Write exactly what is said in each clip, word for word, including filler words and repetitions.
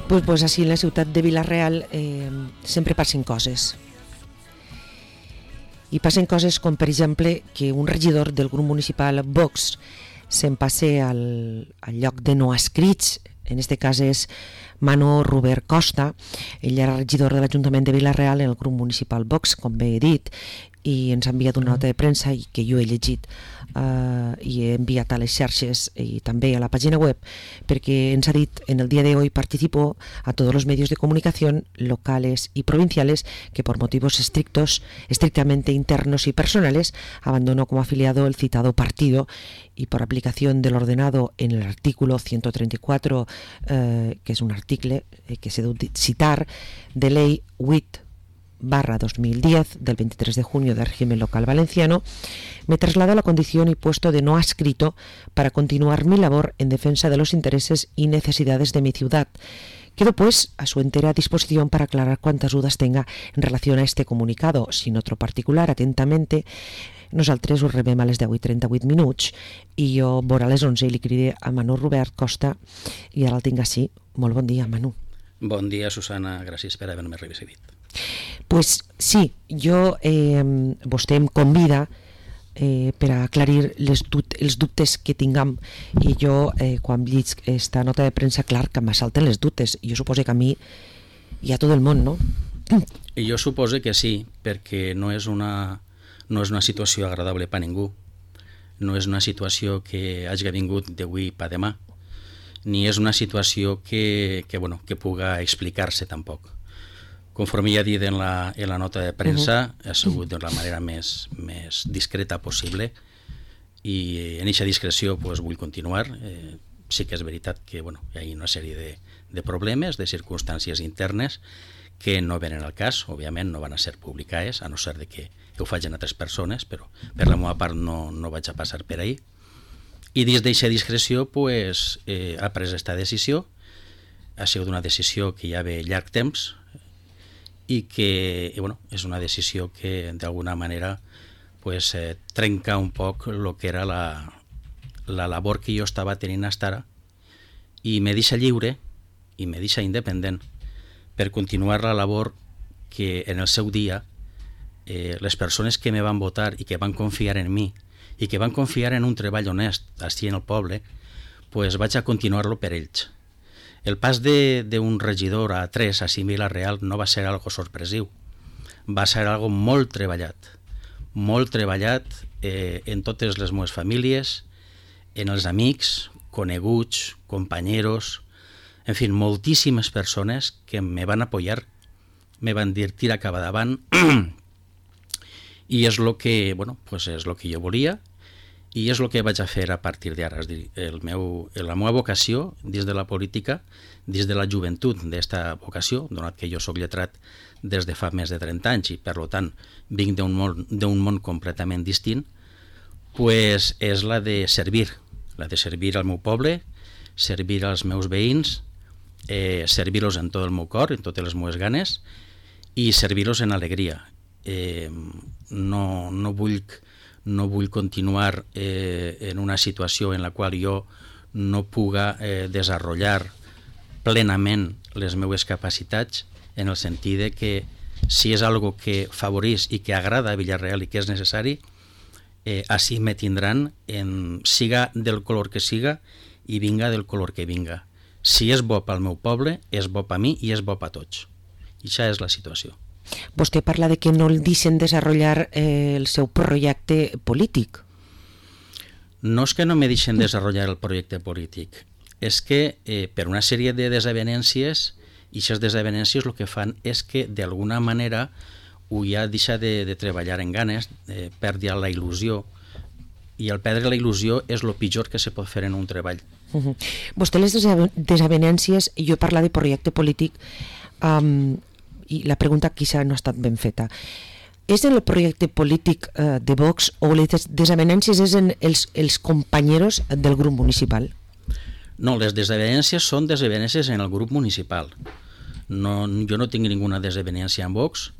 Pues, pues així en la ciutat de Vila-real eh, sempre passen coses. I passen coses com, per exemple, que un regidor del grup municipal Vox se'n passe al, al lloc de no adscrits, en aquest cas és Manu Robert Costa. Ell era regidor de l'Ajuntament de Vila-real en el grup municipal Vox, com bé he dit, i ens ha enviat una nota de premsa i que jo he llegit uh, i he enviat a les xarxes i també a la pàgina web, perquè ens ha dit: en el día de hoy participo a todos los medios de comunicación locales y provinciales que por motivos estrictos, estrictamente internos y personales abandonó como afiliado el citado partido, y por aplicación del ordenado en el artículo ciento treinta y cuatro, eh, que es un artículo eh, que se debe citar, de ley huit barra dos mil diez del veintitrés de junio del régimen local valenciano, me traslado a la condición y puesto de no adscrito para continuar mi labor en defensa de los intereses y necesidades de mi ciudad. Quedo pues a su entera disposición para aclarar cuantas dudas tenga en relación a este comunicado. Sin otro particular, atentamente, nosaltres us rebem a les deu i trenta-vuit minuts i jo vora a les onze i li cridé a Manu Robert Costa i ara el tinc així. Molt bon dia, Manu. Bon dia, Susana, gràcies per haver-me recibit. Pues sí, jo, eh, vostè em convida eh, per a aclarir les dut els dubtes que tinguem, i jo, eh, quan llig esta nota de premsa, clar que m'assalten les dubtes. Jo suposo que a mi i a tot el món, no? I jo suposo que sí, perquè no és una, no és una situació agradable per a ningú. No és una situació que hagi vingut d'avui per demà, ni és una situació que, que, bueno, que puga explicar-se tampoc. Conforme ja he dit en la, en la nota de premsa, uh-huh. ha sigut de la manera més, més discreta possible, i en aquesta discreció pues, vull continuar. Eh, sí que és veritat que bueno, hi ha una sèrie de, de problemes, de circumstàncies internes que no venen al cas, òbviament no van a ser publicades, a no ser de que ho facin altres persones, però per la meva part no, no vaig a passar per ahí. I dins d'aquesta discreció pues, eh, ha pres aquesta decisió. Ha sigut una decisió que ja ve llarg temps, i que i bueno, és una decisió que d'alguna manera pues, eh, trenca un poc el que era la, la labor que jo estava tenint fins ara, i me deixa lliure i me deixa independent per continuar la labor que en el seu dia eh, les persones que me van votar i que van confiar en mi i que van confiar en un treball honest així en el poble, pues vaig a continuar-lo per ells. El pas d'un regidor a tres a Vila-real no va ser algo sorpresiu, va ser algo molt treballat, molt treballat eh, en totes les meves famílies, en els amics, coneguts, companyeros, en fi, moltíssimes persones que me van apoyar, me van dir tira cap davant, i és el que, bueno, pues és lo que jo volia, i és el que vaig a fer a partir d'ara. El meu, la meva vocació dins de la política, dins de la joventut d'esta vocació, donat que jo soc lletrat des de fa més de trenta anys i per tant vinc d'un món, d'un món completament distint, pues és la de servir, la de servir al meu poble, servir als meus veïns, eh, servir-los en tot el meu cor, en totes les meves ganes, i servir-los en alegria. Eh, no, no vull no vull continuar eh, en una situació en la qual jo no puga eh, desenvolupar plenament les meves capacitats, en el sentit de que si és algo que favoreix i que agrada a Vila-real i que és necessari, eh, així me tindran, en, siga del color que siga i vinga del color que vinga. Si és bo pel meu poble, és bo per mi i és bo per tots. I això és la situació. Vostè parla de que no el deixen desenvolupar eh, el seu projecte polític. No és que no me deixen desenvolupar el projecte polític, és que eh, per una sèrie de desavenències, i aquestes desavenències el que fan és que d'alguna manera ho ja deixa de, de treballar en ganes, eh, perdi la il·lusió, i al perdre la il·lusió és el pitjor que se pot fer en un treball. Uh-huh. Vostè les desavenències, jo parla de projecte polític, um, i la pregunta quizá no ha estat ben feta. És en el projecte polític eh, de Vox o les desavenències és en els, els companyeros del grup municipal? No, les desavenències són desavenències en el grup municipal. No, jo no tinc ninguna desavenència amb Vox.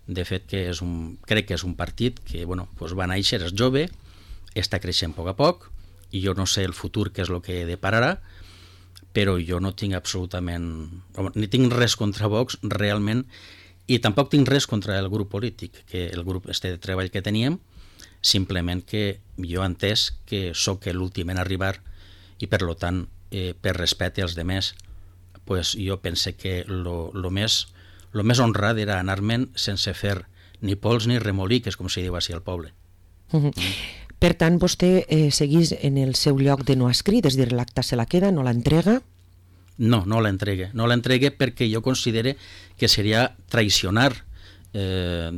De fet, que és un, crec que és un partit que bueno, pues va néixer, és jove, està creixent a poc a poc, i jo no sé el futur què és el que depararà, però jo no tinc absolutament... ni tinc res contra Vox, realment, i tampoc tinc res contra el grup polític, que el grup este de treball que teníem, simplement que jo he entès que sóc l'últim en arribar i, per lo tant, eh, per respecte als demés, pues, jo pense que lo, lo, més, lo més honrat era anar-me'n sense fer ni pols ni remoliques, com se diu així al poble. Uh-huh. Mm. Per tant, vostè eh, seguís en el seu lloc de no escrit, és a dir, l'acta se la queda, no l'entrega? No, no l'entregue. No l'entregue perquè jo considere que seria traicionar eh,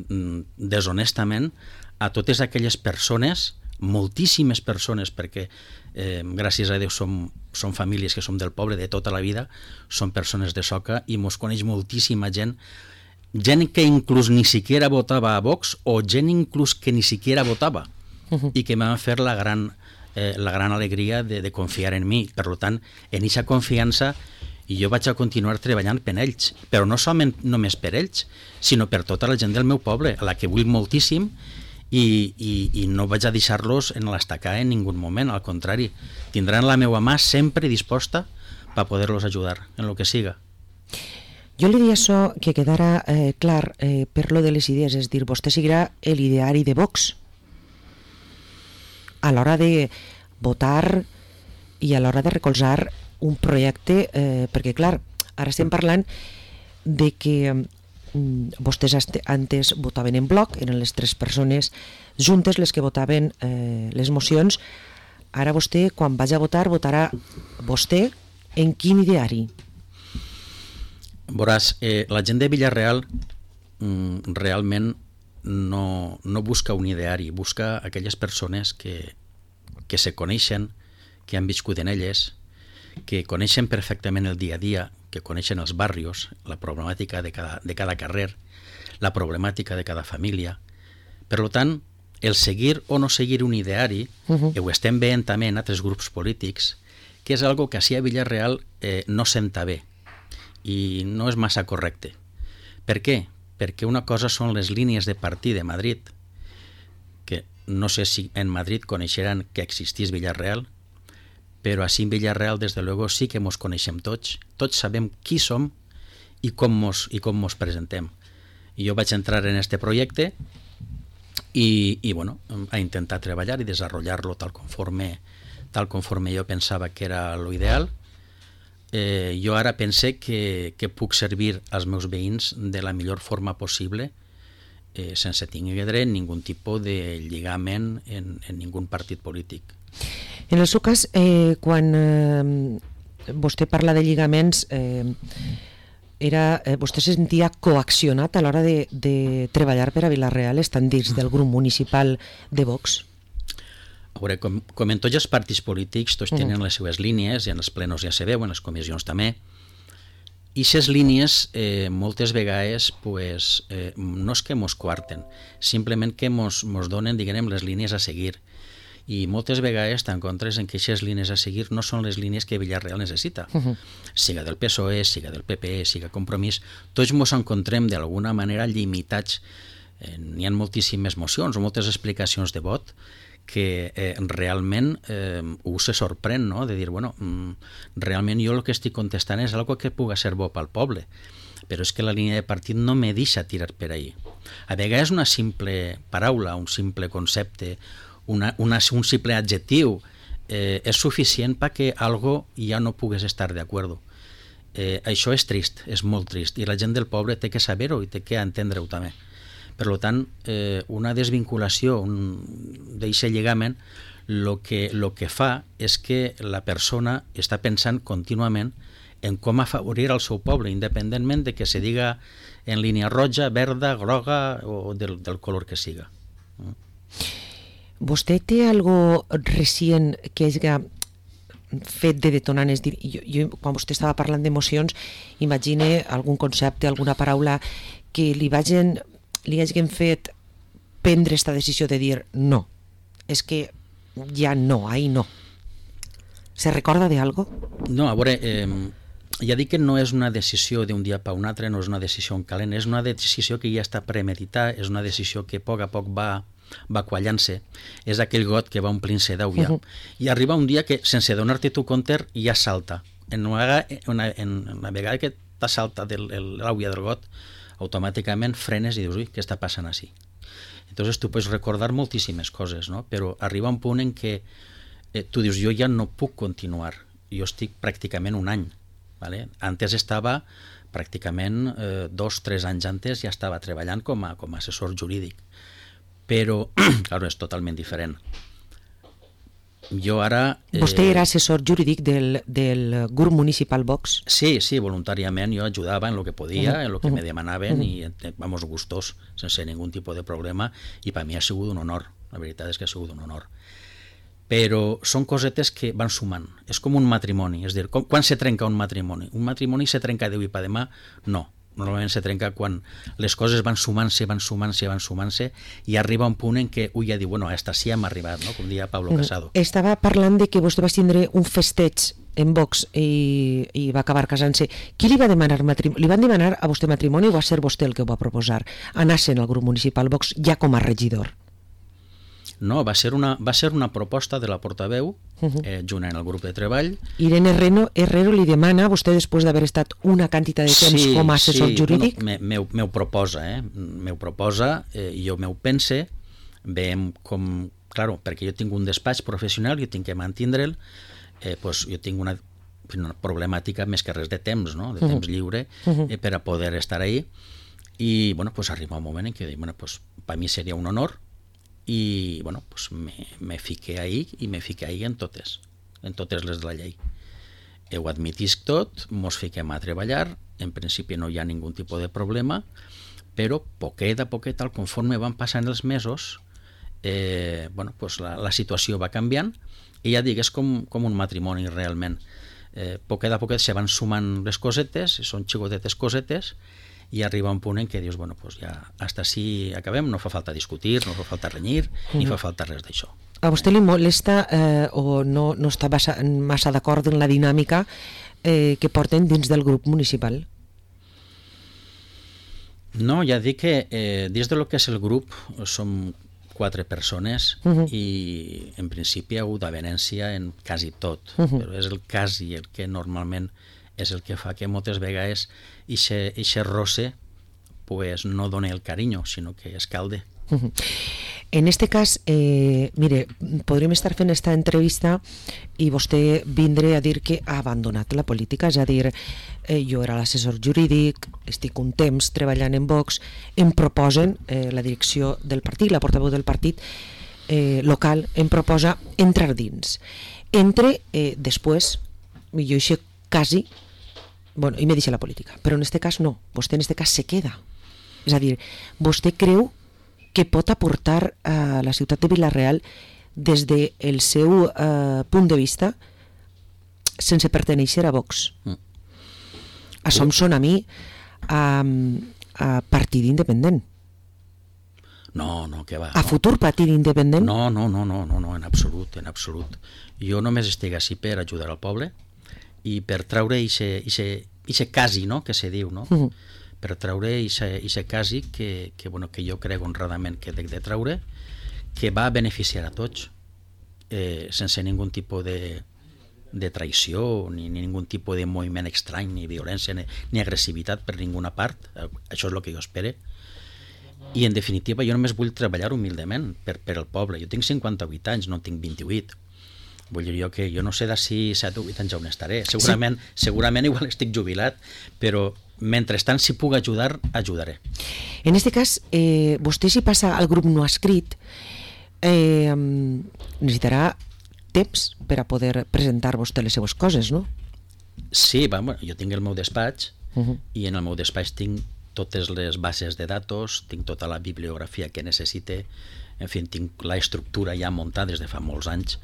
deshonestament a totes aquelles persones, moltíssimes persones, perquè eh, gràcies a Déu som, som famílies que som del poble de tota la vida, som persones de Soca i mos coneix moltíssima gent, gent que inclús ni siquiera votava a Vox o gent inclús que ni siquiera votava uh-huh. i que m'han fet la gran, eh, la gran alegria de, de confiar en mi. Per tant, en aquesta confiança jo vaig a continuar treballant per ells, però no solament només per ells, sinó per tota la gent del meu poble, a la que vull moltíssim, i, i, i no vaig a deixar-los en l'estacar en ningú moment, al contrari, tindran la meva mà sempre disposta per poder-los ajudar en el que siga. Jo li diria això que quedara eh, clar eh, per lo de les idees, és dir, vostè seguirà l'ideari de Vox a l'hora de votar i a l'hora de recolzar un projecte, eh, perquè clar, ara estem parlant de que vostès antes votaven en bloc, eren les tres persones juntes les que votaven eh, les mocions. Ara vostè, quan vagi a votar, votarà vostè en quin ideari? Veuràs, eh, la gent de Vila-real mm, realment no, no busca un ideari, busca aquelles persones que, que se coneixen, que han viscut en elles, que coneixen perfectament el dia a dia, que coneixen els barrios, la problemàtica de cada, de cada carrer, la problemàtica de cada família. Per tant, el seguir o no seguir un ideari, uh-huh. ho estem veient també en altres grups polítics, que és algo que així a Vila-real eh, no senta bé i no és massa correcte. Per què? Perquè una cosa són les línies de partit de Madrid, que no sé si en Madrid coneixeran que existís Vila-real, però així en Vila-real, des de luego, sí que mos coneixem tots, tots sabem qui som i com mos, i com mos presentem. I jo vaig entrar en este projecte i, i bueno, a intentar treballar i desenvolupar-lo tal conforme, tal conforme jo pensava que era lo ideal. Eh, jo ara pense que, que puc servir als meus veïns de la millor forma possible, eh, sense tindre ningú tipus de lligament en, en ningú partit polític. En el seu cas, eh, quan eh, vostè parla de lligaments, eh, era, eh, vostè se sentia coaccionat a l'hora de, de treballar per a Vila-real, estant dins del grup municipal de Vox? A veure, com, com en tots els partits polítics, tots tenen les seves línies, i en els plenos ja se veu, en les comissions també, i aquestes línies eh, moltes vegades pues, eh, no és que mos coarten, simplement que mos, mos donen, diguem, les línies a seguir. I moltes vegades t'encontres en que aquestes línies a seguir no són les línies que Vila-real necessita. Uh-huh. Siga del P S O E, siga del P P, siga Compromís, tots ens encontrem d'alguna manera limitats. Eh, n'hi ha moltíssimes mocions o moltes explicacions de vot que eh, realment eh, ho se sorprèn, no? De dir, bueno, mm, realment jo el que estic contestant és algo que puga ser bo pel poble, però és que la línia de partit no me deixa tirar per ahí. A vegades una simple paraula, un simple concepte, Una, una, un simple adjectiu eh, és suficient perquè algo ja no pugues estar d'acord. Eh, això és trist, és molt trist, i la gent del poble té que saber-ho i té que entendre-ho també. Per tant, eh, una desvinculació d'aquest lligament el que, lo que fa és que la persona està pensant contínuament en com afavorir el seu poble, independentment de que se diga en línia roja, verda, groga o del, del color que siga. Vostè té algo recient que hagi fet de detonant? És dir, jo, jo, quan vostè estava parlant d'emocions, imagine algun concepte, alguna paraula que li vagin, li hagin fet prendre aquesta decisió de dir no, és que ja no, ahí no. Se recorda de algo? No, a veure, eh, ja dic que no és una decisió d'un dia per un altre, no és una decisió en calent, és una decisió que ja està premeditada, és una decisió que a poc a poc va va quallant-se, és aquell got que va omplint-se d'aigua. Uh-huh. I arriba un dia que, sense donar-te tu compte, ja salta, en una, una, en una vegada que t'ha saltat l'àvia del got, automàticament frenes i dius, ui, què està passant així? Entonces tu pots recordar moltíssimes coses, no? Però arriba un punt en què eh, tu dius, jo ja no puc continuar, jo estic pràcticament un any, ¿vale? Antes estava pràcticament eh, dos, tres anys antes ja estava treballant com a, com a assessor jurídic, però, clar, és totalment diferent. Jo ara... Eh... Vostè era assessor jurídic del, del grup municipal Vox? Sí, sí, voluntàriament jo ajudava en el que podia, uh -huh. en el que uh -huh. me demanaven, uh -huh. i vamos, gustos, sense ningú tipus de problema, i per mi ha sigut un honor, la veritat és que ha sigut un honor. Però són cosetes que van sumant, és com un matrimoni, és a dir, com, quan se trenca un matrimoni? Un matrimoni se trenca d'avui per demà? No. Normalment se trenca quan les coses van sumant-se, van sumant-se, van sumant-se, i arriba un punt en què un ja diu, bueno, hasta sí hem arribat, no? Com deia Pablo Casado. Estava parlant de que vostè va tindre un festeig en Vox i, i va acabar casant-se. Qui li va demanar matrimoni? Li van demanar a vostè matrimoni o va ser vostè el que ho va proposar? Anar-se'n al grup municipal Vox ja com a regidor? No, va ser una, va ser una proposta de la portaveu, eh, junt en el grup de treball. Irene Herrero, Herrero li demana, vostè després d'haver estat una quantitat de temps sí, com a assessor sí, jurídic? Bueno, m'ho me, me proposa, eh? m'ho proposa, eh, i jo m'ho pense, veiem com... Claro, perquè jo tinc un despatx professional, jo tinc que mantindre'l, eh, pues jo tinc una, una problemàtica més que res de temps, no? de temps uh -huh. lliure, eh, per a poder estar ahí, i bueno, pues arriba un moment en què dic, bueno, pues, per mi seria un honor, i bueno, pues me, me fiqué ahí i me fiqué ahí en totes, en totes les de la llei. Ho admitisc tot, mos fiquem a treballar, en principi no hi ha ningú tipus de problema, però poquet a poquet, al conforme van passant els mesos, eh, bueno, pues la, la situació va canviant, i ja dic, és com, com un matrimoni realment. Eh, poquet a poquet se van sumant les cosetes, són xicotetes cosetes, i arriba un punt en què dius, bueno, pues ja hasta així acabem, no fa falta discutir, no fa falta renyir, mm. ni fa falta res d'això. A vostè li molesta eh, o no, no està massa, massa d'acord en la dinàmica eh, que porten dins del grup municipal? No, ja dic que eh, dins de lo que és el grup som quatre persones uh -huh. i en principi hi ha hagut avenència en quasi tot, uh -huh. però és el quasi el que normalment és el que fa que moltes vegades ixe roce pues, no doni el carinyo, sinó que escalde. Uh-huh. En este cas, eh, mire, podríem estar fent esta entrevista i vostè vindre a dir que ha abandonat la política, és a dir, eh, jo era l'assessor jurídic, estic un temps treballant en Vox, em proposen eh, la direcció del partit, la portaveu del partit eh, local, em proposa entrar dins. Entre eh, després, jo això quasi, bueno, i me deixa la política, però en este cas no, vostè en este cas se queda. És a dir, vostè creu que pot aportar a la ciutat de Vila-real des del seu eh, punt de vista sense perteneixer a Vox. Mm. Això em sona a mi a, a partit independent. No, no, què va. A no. futur partit independent? No, no, no, no, no, no, en absolut, en absolut. Jo només estic així per ajudar al poble i per treure ixe casi, no?, que se diu, no? Uh -huh. Per treure ixe casi que, que, bueno, que jo crec honradament que he de treure, que va beneficiar a tots, eh, sense ningun tipus de, de traïció, ni, ni ningun tipus de moviment estrany, ni violència, ni, ni agressivitat per ninguna part. Això és el que jo espero. I, en definitiva, jo només vull treballar humildament per, per al poble. Jo tinc cinquanta-vuit anys, no tinc vint-i-vuit. Vull dir jo que jo no sé d'ací set o vuit anys on estaré. Segurament, sí. segurament igual estic jubilat, però mentrestant, si puc ajudar, ajudaré. En aquest cas, eh, vostè si passa al grup no escrit, eh, necessitarà temps per a poder presentar vostè les seues coses, no? Sí, va, bueno, jo tinc el meu despatx uh -huh. i en el meu despatx tinc totes les bases de datos, tinc tota la bibliografia que necessite, en fi, tinc la estructura ja muntada des de fa molts anys,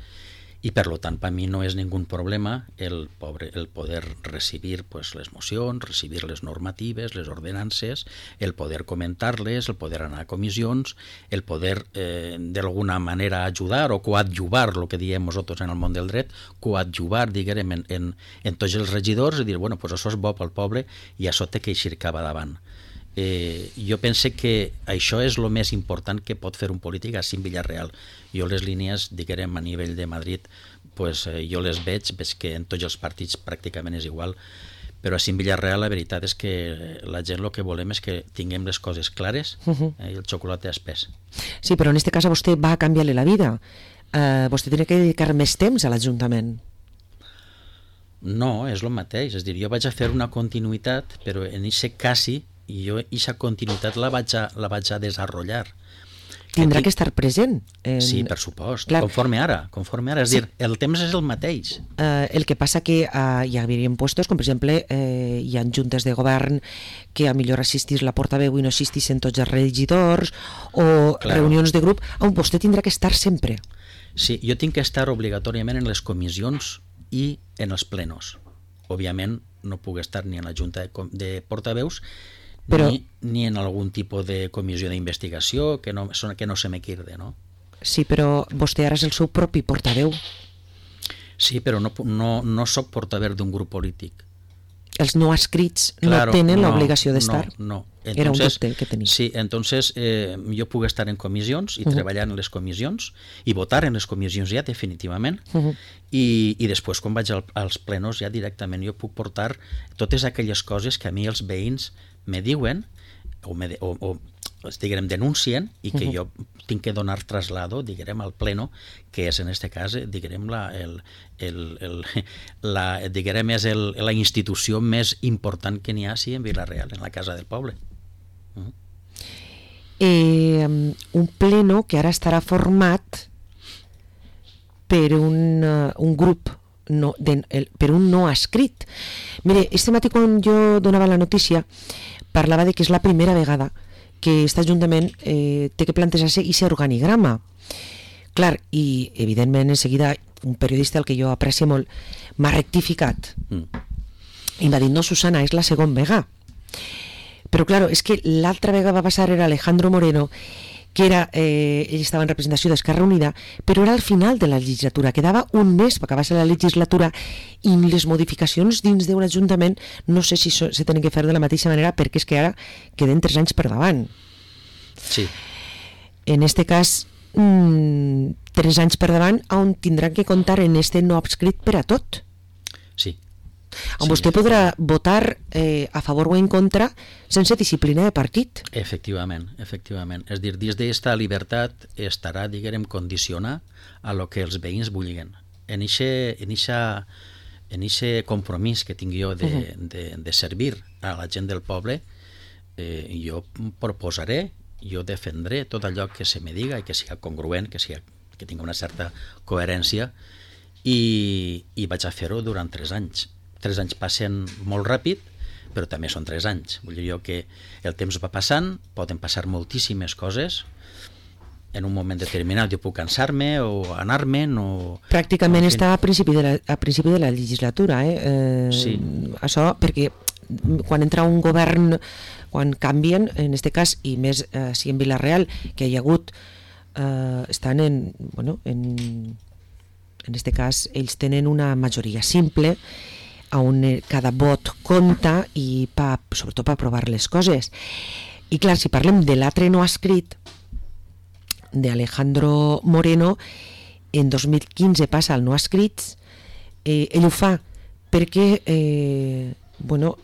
i per tant per mi no és ningun problema el, pobre, el poder recibir pues, les mocions, recibir les normatives, les ordenances, el poder comentar-les, el poder anar a comissions, el poder eh, d'alguna manera ajudar o coadjuvar, el que diem nosaltres en el món del dret, coadjuvar, diguem, en, en, en tots els regidors i dir, bueno, pues això és bo pel poble i això té que eixir cap davant. Eh, jo pense que això és el més important que pot fer un polític així en Vila-real. Jo les línies, diguem, a nivell de Madrid pues, eh, jo les veig, veig que en tots els partits pràcticament és igual, però a Villarreal la veritat és que la gent el que volem és que tinguem les coses clares, uh-huh. eh, i el xocolate espès. Sí, però en aquest cas a vostè va canviar-li la vida. Uh, vostè tenia que dedicar més temps a l'Ajuntament. No, és el mateix. És a dir, jo vaig a fer una continuïtat, però en aquest quasi, jo aquesta continuïtat la vaig a, la vaig a desenvolupar. Tindrà que estar present. En... Sí, per supost, Clar. conforme ara. Conforme ara. És sí. dir, el temps és el mateix. Uh, el que passa que uh, hi hauria puestos, com per exemple, eh, hi ha juntes de govern que a millor assistís la portaveu i no assistixen tots els regidors, o claro. reunions de grup, on vostè tindrà que estar sempre. Sí, jo tinc que estar obligatòriament en les comissions i en els plenos. Òbviament no puc estar ni en la junta de, de portaveus, Però... Ni, ni en algun tipus de comissió d'investigació que no, que no se me quirde, no? Sí, però vostè ara és el seu propi portaveu. Sí, però no, no, no soc portaveu d'un grup polític. Els no adscrits claro, no tenen no, l'obligació d'estar? No, no. Entonces, Era un dubte que tenia. Sí, entonces eh, jo puc estar en comissions i uh -huh. treballar en les comissions i votar en les comissions ja definitivament uh -huh. i, i després quan vaig al, als plenos ja directament jo puc portar totes aquelles coses que a mi els veïns me diuen o, me de, o, o diguem, denuncien i que uh -huh. jo tinc que donar traslado diguem, al pleno, que és en este cas diguem, la, el, el, el, la, diguem, és el, la institució més important que n'hi ha sí, en Vila-real, en la Casa del Poble. Uh -huh. eh, un pleno que ara estarà format per un, uh, un grup no, de, el, per un no escrit. Mire, este matí quan jo donava la notícia parlava de que és la primera vegada que aquest Ajuntament eh, té que plantejar-se i ser organigrama. Clar, i evidentment en seguida un periodista al que jo aprecio molt m'ha rectificat mm. i m'ha dit, no Susana, és la segona vegada. Però clar, és que l'altra vegada va passar era Alejandro Moreno, que era, eh, ell estava en representació d'Esquerra Unida, però era al final de la legislatura, quedava un mes per acabar-se la legislatura i les modificacions dins d'un ajuntament no sé si so, se tenen que fer de la mateixa manera perquè és que ara queden tres anys per davant. Sí. En este cas, mmm, tres anys per davant on tindran que comptar en este no adscrit per a tot. Sí. On sí, vostè podrà votar eh, a favor o en contra sense disciplina de partit. Efectivament, efectivament. És dir, dins d'esta llibertat estarà, diguem, condicionar a lo que els veïns vulguin. En eixe en eixa, en eixe compromís que tinc jo de, uh-huh. de, de servir a la gent del poble, eh, jo proposaré, jo defendré tot allò que se me diga i que siga congruent, que, siga, que tingui una certa coherència i, i vaig a fer-ho durant tres anys. Tres anys passen molt ràpid, però també són tres anys. Vull dir jo que el temps va passant, poden passar moltíssimes coses, en un moment determinat jo puc cansar-me o anar-me'n o... Pràcticament o, està a principi de la, a principi de la legislatura, eh? eh sí. Això perquè quan entra un govern, quan canvien, en aquest cas, i més eh, si en Vila-real, que hi ha hagut, eh, estan en, bueno, en, en aquest cas, ells tenen una majoria simple, on cada vot compta i pa, sobretot per aprovar les coses. I clar, si parlem de l'altre no escrit de Alejandro Moreno, en dos mil quinze passa al no escrit, eh, ell ho fa perquè eh, bueno,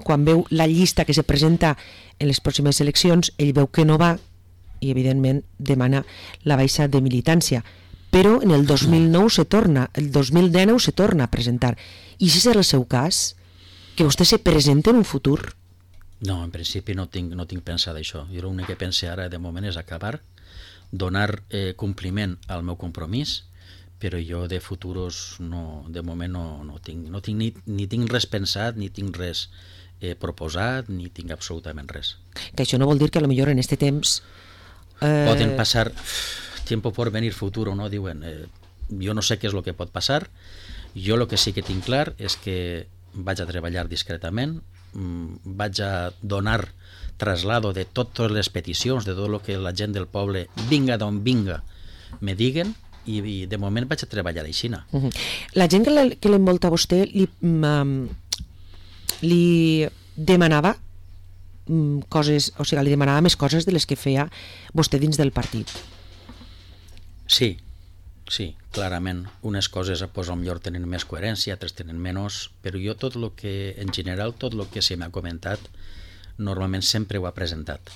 quan veu la llista que se presenta en les pròximes eleccions, ell veu que no va i evidentment demana la baixa de militància. Però en el dos mil nou se torna, el dos mil dinou se torna a presentar. I si serà el seu cas, que vostè se presenta en un futur? No, en principi no tinc, no tinc pensat això. Jo l'únic que pense ara de moment és acabar, donar eh, compliment al meu compromís, però jo de futuros no, de moment no, no tinc, no tinc ni, ni tinc res pensat, ni tinc res eh, proposat, ni tinc absolutament res. Que això no vol dir que potser en aquest temps... Eh... Poden passar... tiempo por venir futuro, no? Diuen, eh, jo no sé què és el que pot passar, jo el que sí que tinc clar és que vaig a treballar discretament, mmm, vaig a donar traslado de totes les peticions, de tot el que la gent del poble, vinga d'on vinga, me diguen, i, i de moment vaig a treballar així. Uh-huh. La gent que l'envolta a vostè li, um, li demanava um, coses, o sigui, li demanava més coses de les que feia vostè dins del partit. Sí, Sí, clarament. Unes coses pues, potser tenen més coherència, altres tenen menys, però jo tot el que, en general, tot el que se m'ha comentat, normalment sempre ho ha presentat.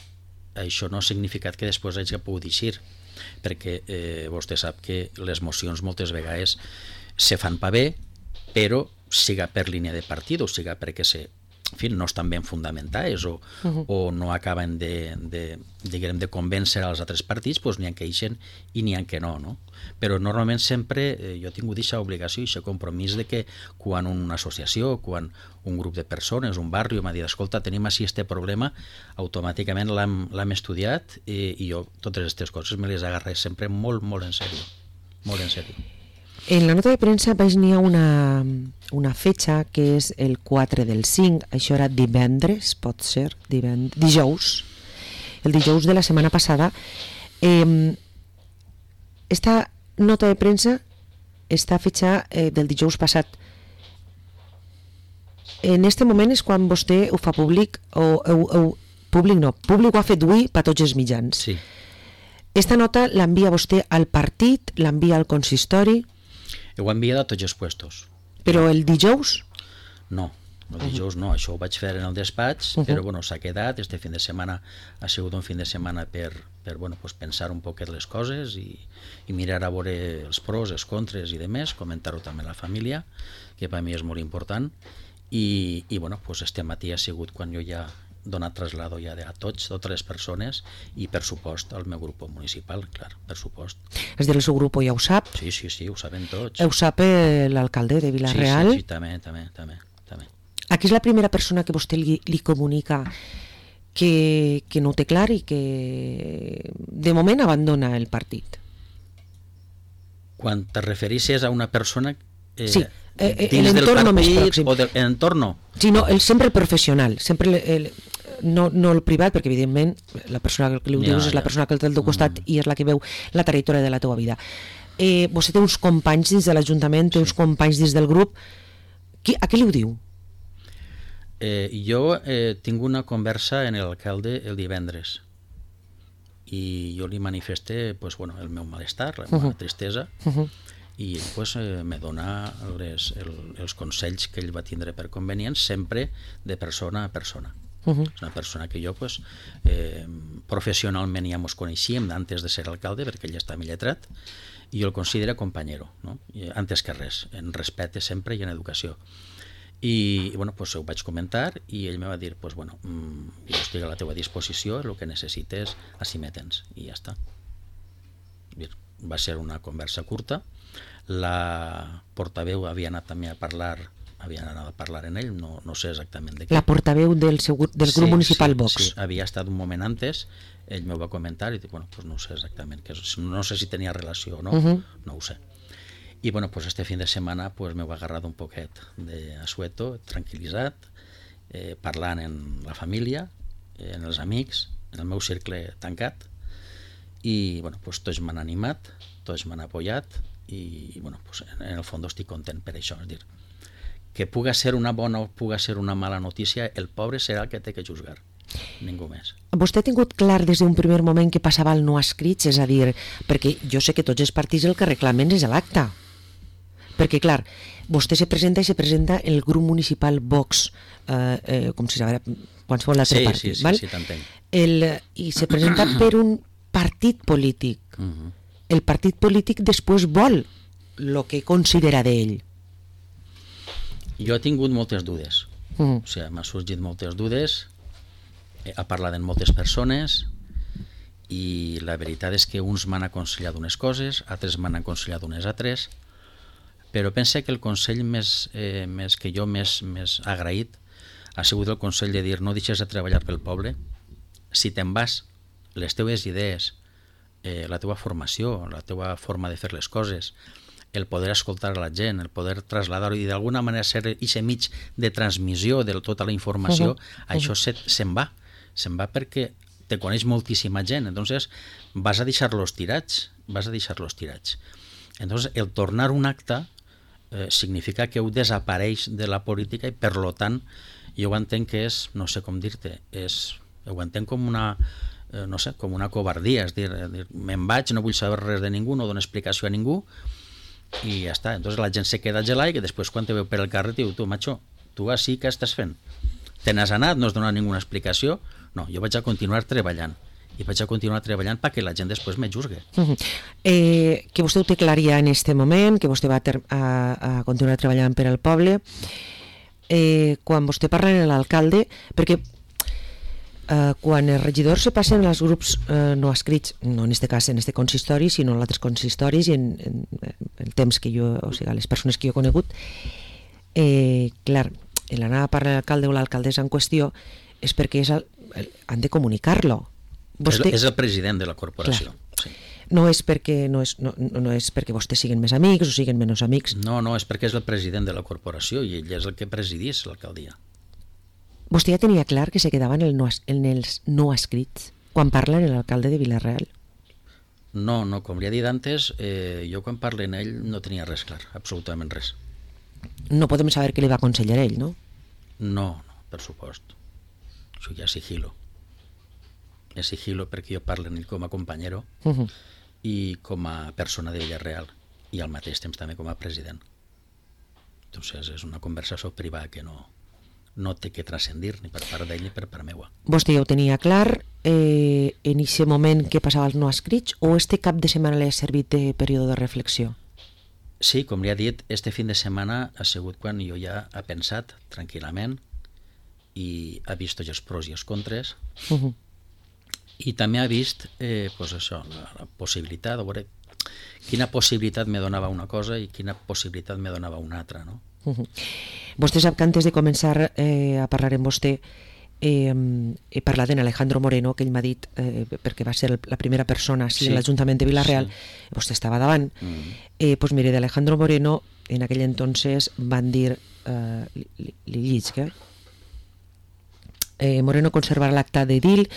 Això no ha significat que després hagi pogut eixir, perquè eh, vostè sap que les mocions moltes vegades se fan pa bé, però siga per línia de partit o siga perquè se, en fi, no estan ben fundamentades o, uh-huh. o no acaben de, de, diguem, de convèncer als altres partits, doncs n'hi ha que eixen i n'hi ha que no, no? Però normalment sempre eh, jo he tingut aquesta obligació i aquest compromís de que quan una associació, quan un grup de persones, un barri m'ha dit, escolta, tenim així este problema, automàticament l'hem estudiat i, i jo totes aquestes coses me les agarré sempre molt, molt en sèrio, molt en sèrio. En la nota de premsa vaig n'hi ha una, una fetxa que és el quatre del cinc, això era divendres, pot ser, divend... dijous, el dijous de la setmana passada. Eh, esta nota de premsa, esta fetxa eh, del dijous passat, en este moment és quan vostè ho fa públic, o, o, o públic no, públic ho ha fet avui per tots els mitjans. Sí. Esta nota l'envia vostè al partit, l'envia al consistori? Ho he enviat a tots els puestos. Però el dijous? No, el dijous no, això ho vaig fer en el despatx, uh-huh. però bueno, s'ha quedat, este fin de setmana ha sigut un fin de setmana per, per bueno, pues pensar un poquet les coses i, i mirar a veure els pros, els contres i demés, comentar-ho també a la família, que per mi és molt important, i, i bueno, pues este matí ha sigut quan jo ja donat traslado ja a tots, totes les persones i per supost al meu grup municipal, clar, per supost. És dir, el seu grup ja ho sap? Sí, sí, sí, ho saben tots. Ho sap l'alcalde de Vila-real? Sí, sí, sí, també, també, també, també. Aquí és la primera persona que vostè li, li comunica que, que no ho té clar i que de moment abandona el partit. Quan te referissis a una persona eh, sí, eh, dins del entorno més partit pròxim. o del entorno? Sí, no, el, sempre el professional, sempre el, el, no, no el privat, perquè evidentment la persona que li ho Ja, dius és la ja. persona que el té al teu costat Mm. i és la que veu la trajectòria de la teva vida. Eh, vostè té uns companys dins de l'Ajuntament, té uns companys dins del grup. Qui, a què li ho diu? Eh, jo eh, tinc una conversa en l'alcalde el divendres i jo li manifesté pues, bueno, el meu malestar, la meva Uh-huh. tristesa, Uh-huh. i ell pues, eh, me dona les, el, els consells que ell va tindre per convenients, sempre de persona a persona. Uh-huh. És una persona que jo pues, eh, professionalment ja mos coneixíem antes de ser alcalde, perquè ell està lletrat, i jo el considero companyero, no? I, antes que res, en respecte sempre i en educació. I bueno, pues, ho vaig comentar i ell me va dir pues, bueno, mm, jo estic a la teva disposició, el que necessites, així me tens, i ja està. Va ser una conversa curta. La portaveu havia anat també a parlar havia anat a parlar en ell, no, no sé exactament de què. La portaveu del, seu, del grup sí, municipal sí, Vox. Sí, havia estat un moment antes, ell m'ho va comentar i dic, bueno, pues no sé exactament, que és, no sé si tenia relació o no, Uh-huh. no ho sé. I bueno, pues este fin de setmana pues, m'ho ha agarrat un poquet d'asueto, tranquil·litzat, eh, parlant en la família, eh, en els amics, en el meu cercle tancat, i bueno, pues, tots m'han animat, tots m'han apoyat, i bueno, pues, en el fons estic content per això, és dir, que puga ser una bona o puga ser una mala notícia, el pobre serà el que té que juzgar, ningú més. Vostè ha tingut clar des d'un primer moment que passava el no escrits, és a dir, perquè jo sé que tots els partits el que reclamen és l'acta. Perquè, clar, vostè se presenta i se presenta el grup municipal Vox, eh, eh, com si sabera qualsevol altre sí, partit, sí, sí, val? sí, t'entenc. El, I se presenta per un partit polític. Uh-huh. El partit polític després vol el que considera d'ell. Jo he tingut moltes dudes, Mm. o sigui, m'ha sorgit moltes dudes, he parlat amb moltes persones i la veritat és que uns m'han aconsellat unes coses, altres m'han aconsellat unes altres, però pense que el consell més, eh, més que jo més, més agraït ha sigut el consell de dir no deixes de treballar pel poble, si te'n vas, les teves idees, eh, la teva formació, la teva forma de fer les coses, el poder escoltar a la gent, el poder traslladar-ho i d'alguna manera ser aquest mig de transmissió de tota la informació, uh-huh. això se, se'n va, se'n va perquè te coneix moltíssima gent, entonces vas a deixar-los tirats, vas a deixar-los tirats. Entonces el tornar un acte eh, significa que ho desapareix de la política i per lo tant jo ho entenc que és, no sé com dir-te, és, ho entenc com una eh, no sé, com una covardia, és dir, dir me'n vaig, no vull saber res de ningú, no dono explicació a ningú, i ja està. Entonces la gent se queda gelada i que després quan te veu per el carrer diu, tu, macho, tu així què estàs fent? Te n'has anat, no has donat ninguna explicació? No, jo vaig a continuar treballant i vaig a continuar treballant perquè la gent després me juzgue. Uh -huh. eh, que vostè ho té clar ja en este moment, que vostè va a, a, a continuar treballant per al poble. Eh, quan vostè parla amb l'alcalde, perquè eh, quan els regidors se passen als grups eh, no escrits, no en este cas en este consistori, sinó en altres consistoris i en, en, en el temps que jo, o sigui, les persones que jo he conegut, eh, clar, l'anar a parlar l'alcalde o l'alcaldessa en qüestió és perquè és el, el, han de comunicar-lo. Vostè... És, és el president de la corporació. Sí. No és perquè no és, no, no és perquè vostès siguin més amics o siguin menys amics. No, no, és perquè és el president de la corporació i ell és el que presidís l'alcaldia. Vostè ja tenia clar que se quedava en, el no, en els no escrits quan parla en l'alcalde de Vila-real? No, no, com li he dit antes, eh, jo quan parlo en ell no tenia res clar, absolutament res. No podem saber què li va aconsellar ell, no? No, no, per supost. Això ja és sigilo. És sigilo perquè jo parlo en ell com a companyero uh -huh. i com a persona de Villarreal i al mateix temps també com a president. Entonces és una conversació privada que no, no té que transcendir ni per part d'ell ni per part meua. Vostè ja ho tenia clar eh, en aquest moment que passava els no escrits o este cap de setmana li ha servit de període de reflexió? Sí, com li ha dit, este fin de setmana ha sigut quan jo ja he pensat tranquil·lament i ha vist tots els pros i els contres uh -huh. i també ha vist eh, pues això, la, la possibilitat, a veure quina possibilitat me donava una cosa i quina possibilitat me donava una altra, no? Uh -huh. Vostè sap que antes de començar eh, a parlar amb vostè eh, he parlat en Alejandro Moreno, que ell m'ha dit, eh, perquè va ser la primera persona sí, en l'Ajuntament de Vila-real, sí. Vostè estava davant, uh -huh. eh, pues mire, d'Alejandro Moreno en aquell entonces van dir eh, li, li, li llisca eh, Moreno conservarà l'acta de edil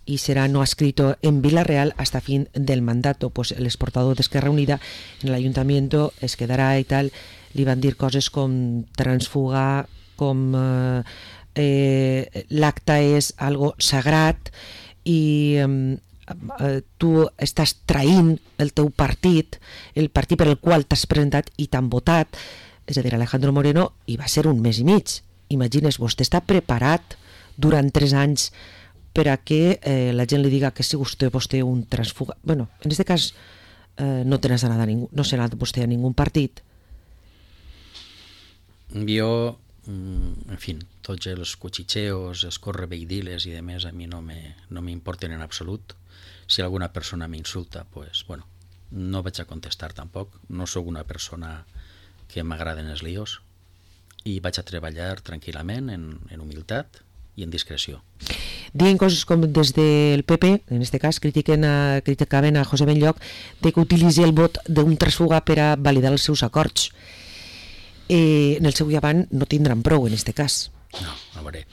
y será no adscrito en Vila-real hasta fin del mandato. Pues el exportador de Esquerra Unida en el ayuntamiento es quedará y tal. Li van dir coses com transfugar, com eh, eh, l'acta és algo sagrat i eh, eh, tu estàs traint el teu partit, el partit per el qual t'has presentat i t'han votat. És a dir, Alejandro Moreno hi va ser un mes i mig. Imagines, vostè està preparat durant tres anys per a que eh, la gent li diga que si vostè, vostè un transfuga... Bueno, en aquest cas eh, no tens anat a ningú, no s'ha anat vostè a ningú partit. Jo, en fi, tots els cuchicheos, els correveidiles i demés a mi no me, no m'importen en absolut. Si alguna persona m'insulta, pues, bueno, no vaig a contestar tampoc. No sóc una persona que m'agraden els líos i vaig a treballar tranquil·lament, en, en humilitat i en discreció. Diuen coses com des del P P, en aquest cas, critiquen a, criticaven a José Benlloch de que utilitzi el vot d'un transfuga per a validar els seus acords. Eh, en el seu llevant no tindran prou en aquest cas. No, a veure,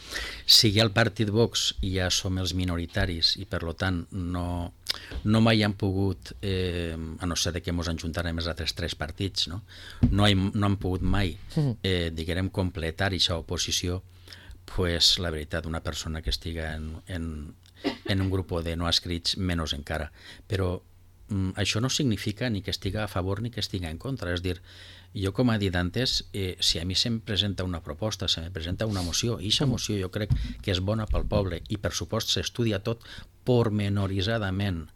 si hi ha el partit Vox i ja som els minoritaris i per tant no, no mai han pogut, eh, a no ser que ens ajuntarem els altres tres partits, no, no, hi, no han pogut mai, eh, diguem, completar aquesta oposició, pues la veritat, una persona que estiga en, en, en un grup de no adscrits, menys encara. Però mm, això no significa ni que estiga a favor ni que estiga en contra. És dir, jo com he dit antes, eh, si a mi se'm presenta una proposta, se me presenta una moció, i aquesta moció jo crec que és bona pel poble i per supost s'estudia tot pormenoritzadament,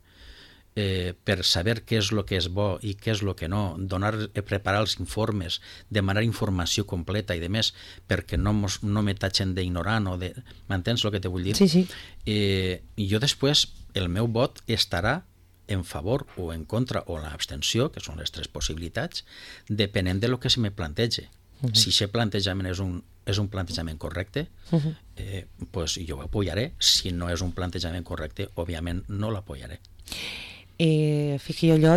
Eh, per saber què és el que és bo i què és el que no, donar, eh, preparar els informes, demanar informació completa i de més, perquè no, mos, no me tatxen d'ignorant o de... M'entens el que te vull dir? Sí, sí. Eh, I jo després, el meu vot estarà en favor o en contra o l'abstenció, que són les tres possibilitats, depenent de lo que se me plantege. Uh-huh. Si aquest plantejament és un, és un plantejament correcte, uh-huh. eh, pues jo ho apoyaré. Si no és un plantejament correcte, òbviament no l'apoyaré. Eh, fixi allò,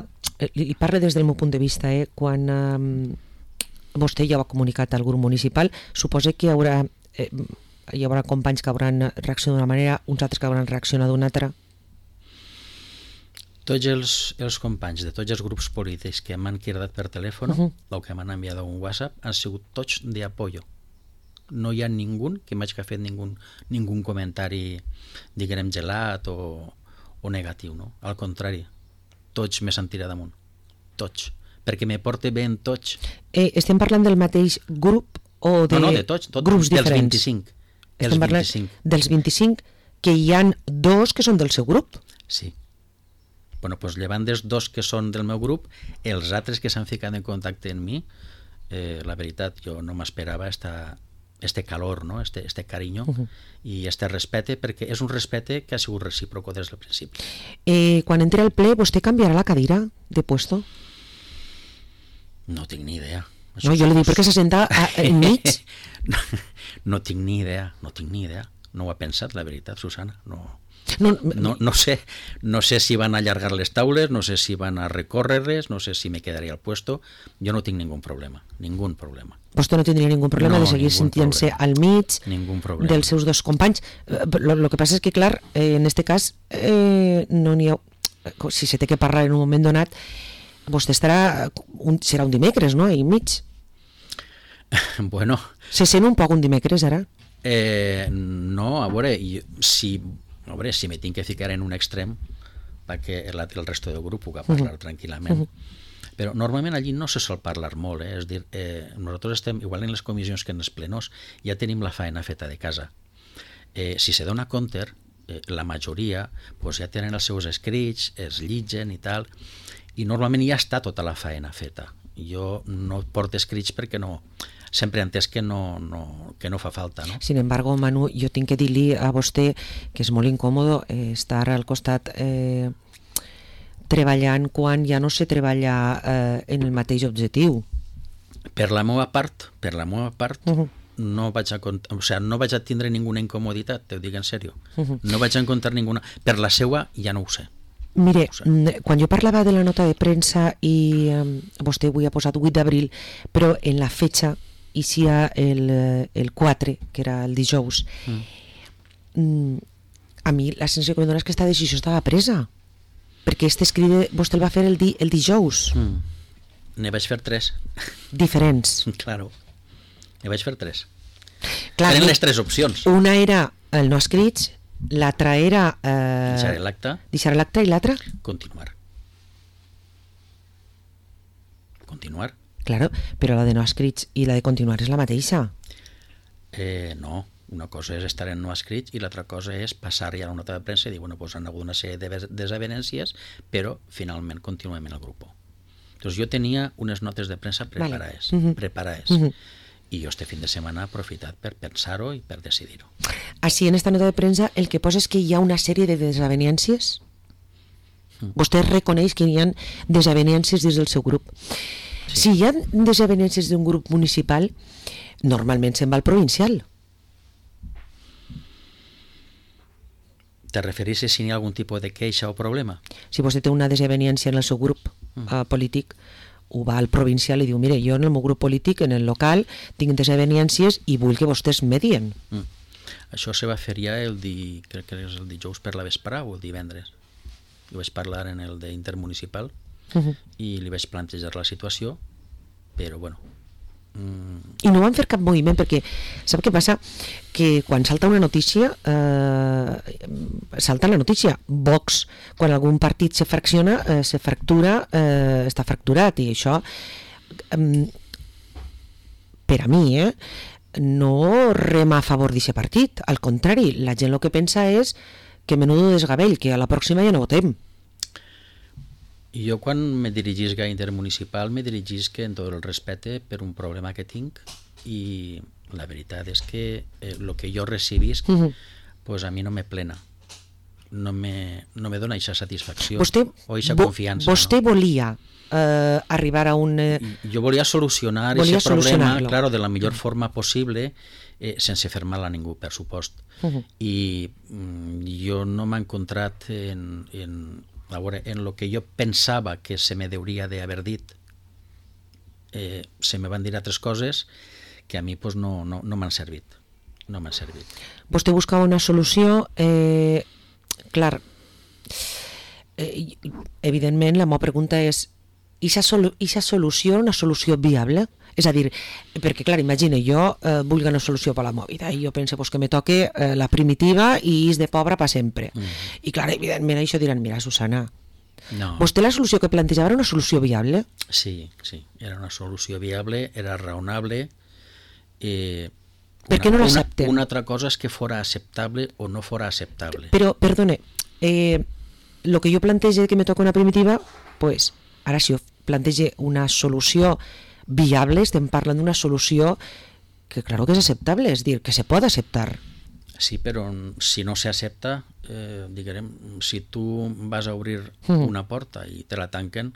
li parlo des del meu punt de vista, eh, quan eh, vostè ja ho ha comunicat al grup municipal, suposa que hi haurà, eh, hi haurà companys que hauran reaccionat d'una manera, uns altres que hauran reaccionat d'una altra? Tots els, els companys de tots els grups polítics que m'han cridat per telèfon uh-huh. o que m'han enviat un WhatsApp han sigut tots d'apoyo. No hi ha ningú que m'hagi fet ningú, ningú comentari, diguem, gelat o o negatiu, no? Al contrari, tots me sentiré damunt, tots, perquè me porte bé en tots. Eh, estem parlant del mateix grup o de, no, no, de tots, tots grups dels diferents? vint-i-cinc. Estem parlant vint-i-cinc. dels vint-i-cinc, que hi han dos que són del seu grup. Sí. Bueno, doncs llevant dels dos que són del meu grup, els altres que s'han ficat en contacte amb mi, eh, la veritat, jo no m'esperava esta, este calor, no? este, este carinyo uh-huh. i este respecte, perquè és un respecte que ha sigut recíproco des del principi. Eh, quan entre al ple, vostè canviarà la cadira de puesto? No tinc ni idea. Això no, jo li dic perquè se senta enmig. no, no tinc ni idea, no tinc ni idea. No ho ha pensat, la veritat, Susana. No, no, no, no, sé, no sé si van a allargar les taules, no sé si van a recórrer-les, no sé si me quedaria al puesto. Jo no tinc ningú problema, ningú problema. Vostè no tindria ningú problema no, de seguir sentint-se al mig dels seus dos companys. Lo, lo que passa és que, clar, eh, en este cas, eh, no n'hi ha... Si se té que parlar en un moment donat, vostè estarà... Un, serà un dimecres, no?, ahí mig. Bueno... Se sent un poc un dimecres, ara? Eh, no, a veure, si, a veure, si me tinc que ficar en un extrem perquè el, el resto del grup puga parlar uh-huh. tranquil·lament. Uh-huh. Però normalment allí no se sol parlar molt, eh? És dir, eh, nosaltres estem, igual en les comissions que en els plenors, ja tenim la faena feta de casa. Eh, si se dona compte, eh, la majoria pues, ja tenen els seus escrits, es llitgen i tal, i normalment ja està tota la faena feta. Jo no porto escrits perquè no... sempre he entès que no, no, que no fa falta, no? Sin embargo, Manu, jo tinc que dir-li a vostè que és molt incòmode eh, estar al costat eh, treballant quan ja no se treballa eh, en el mateix objectiu. Per la meva part, per la meva part, uh-huh. no vaig a o sea, no vaig a tindre ninguna incomoditat, te ho dic en sèrio. Uh-huh. No vaig a encontrar ninguna. Per la seua ja no ho sé. Mire, quan jo parlava de la nota de premsa i eh, vostè avui ha posat vuit d'abril, però en la fetxa i si el, el quatre, que era el dijous, mm. a mi la sensació que em dona és que aquesta decisió estava presa, perquè este escrit vostè el va fer el, di, el dijous. Mm. Ne vaig fer tres. Diferents. Claro, ne vaig fer tres. Clar, eren les tres opcions. Una era el no escrits, l'altra era... Eh, deixar l'acte. Deixar l'acte i l'altra? Continuar. Continuar. Claro, però la de no escrits i la de continuar és la mateixa. Eh, no, una cosa és estar en no escrits i l'altra cosa és passar ja a la nota de premsa i dir, bueno, pues han hagut una sèrie de desavenències, però finalment continuem en el grup. Entonces jo tenia unes notes de premsa preparades, vale. uh-huh. preparades. Uh-huh. I jo este fin de setmana he aprofitat per pensar-ho i per decidir-ho. Així, en esta nota de premsa, el que posa és que hi ha una sèrie de desavenències. Mm. Vostè reconeix que hi ha desavenències dins del seu grup. Sí. Si hi ha desavenències d'un grup municipal, normalment se'n va al provincial. Te refereixes si hi ha algun tipus de queixa o problema? Si vostè té una desavenència en el seu grup mm. uh, polític, ho va al provincial i diu, mire, jo en el meu grup polític, en el local, tinc desavenències i vull que vostès medien. Mm. Això se va fer ja el, di, crec que és el dijous per la vesprà o el divendres. Jo vaig parlar en el d'intermunicipal uh-huh. i li vaig plantejar la situació, però bueno... Mm... I no van fer cap moviment, perquè sap què passa? Que quan salta una notícia, eh, salta la notícia. Vox, quan algun partit se fracciona, eh, se fractura, eh, està fracturat, i això, eh, per a mi, eh, no rema a favor d'aquest partit. Al contrari, la gent el que pensa és que menudo desgavell, que a la pròxima ja no votem. Jo quan me dirigisc a intermunicipal me dirigisc en tot el respecte per un problema que tinc i la veritat és que el eh, que jo recibisc uh-huh. pues a mi no me plena, no me, no me dona aquesta satisfacció vostè, o aquesta confiança. Vostè no? volia eh, arribar a un... Eh... Jo volia solucionar aquest problema claro, de la millor uh-huh. forma possible eh, sense fer mal a ningú, per supost. Uh-huh. I mm, jo no m'he encontrat en... en a veure, en el que jo pensava que se me hauria d'haver dit eh, se me van dir altres coses que a mi pues, no, no, no m'han servit no m'han servit. Vostè buscava una solució eh, clar eh, evidentment la meva pregunta és i aquesta solució, una solució viable? És a dir, perquè clar, imagina, jo eh, vull una solució per la mòbila i jo penso pues, que me toque eh, la primitiva i és de pobre per sempre. Mm. I clar, evidentment això diran, mira, Susana, no. Vostè la solució que plantejava era una solució viable? Sí, sí, era una solució viable, era raonable. Eh, per què no l'accepten? Una, una altra cosa és que fora acceptable o no fora acceptable. Però, perdone, eh, el que jo plantege que me toca una primitiva, pues, ara si jo plantege una solució viable, estem parlant d'una solució que claro que és acceptable, és dir, que se pot acceptar. Sí, però si no s'accepta, eh, diguem, si tu vas a obrir mm. una porta i te la tanquen,